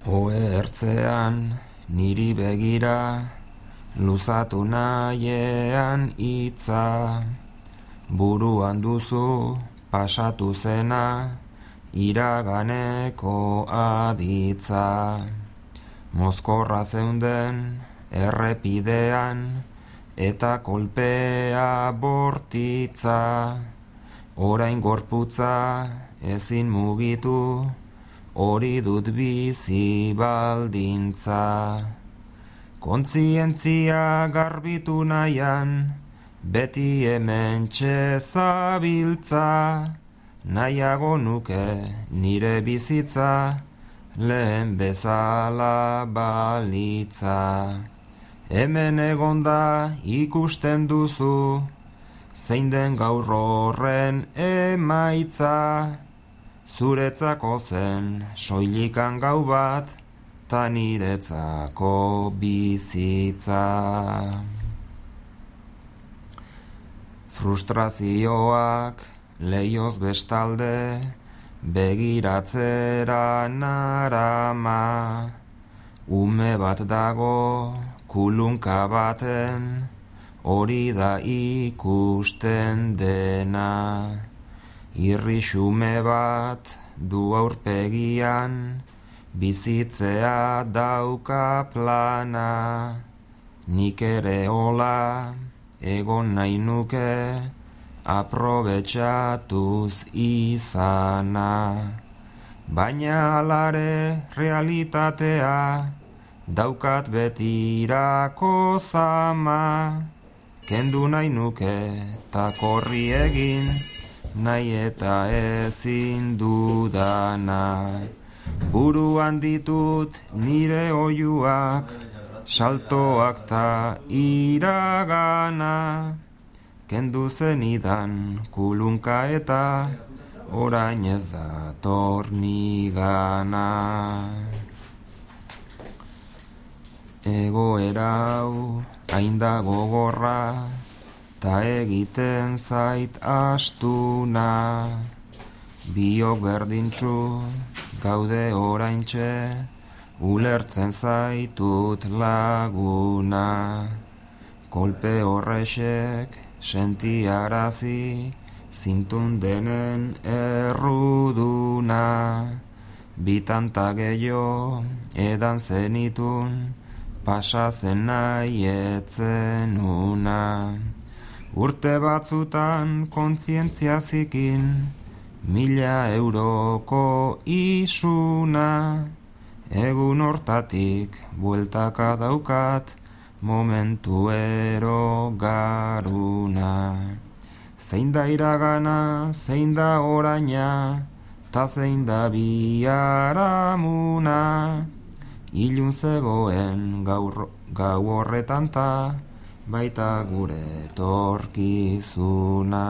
Ohertzean niri begira, luzatu nahiean hitza, buruan duzu pasatu zena, iraganeko aditza. Mozkorra zeunden errepidean, eta kolpea bortitza, orain gorputza ezin mugitu, hori dut bizi baldintza. Kontzientzia garbitu nahian, beti hementxe zabiltza, nahiago nuke nire bizitza, lehen bezala balitza. Hemen egonda ikusten duzu, zein den gaur horren emaitza, zuretzako zen soilikan gau bat, ta niretzako bizitza. Frustrazioak leioz bestalde, begiratzera narama, ume bat dago kulunka baten, hori da ikusten dena. Irrixume bat du aurpegian, bizitzea dauka plana, nik ere hola egon nahi nuke, aprobetxatuz izana. Baina alare realitatea, daukat betirako zama, kendu nahi nuke ta korri egin, nahi eta ezin dudana. Buruan ditut nire oiuak, saltoak ta iragana, kendu zenidan kulunka eta orain ez dator nigana. Egoera hau hain da gogorra, ta egiten zait astuna, biok berdintxu gaude oraintxe, ulertzen zaitut laguna. Kolpe horrexek sentiarazi, zintun denen erruduna, bitanta gehiago edan zenitun, pasa zen nahi etzen una. Urte batzutan kontzientzia zikin, 1000 euroko isuna, egun hortatik bueltaka daukat, momentuero garuna. Zein da iragana, zein da oraina, ta zein da biharamuna, ilun zegoen gau horretan ta, baita gure etorkizuna.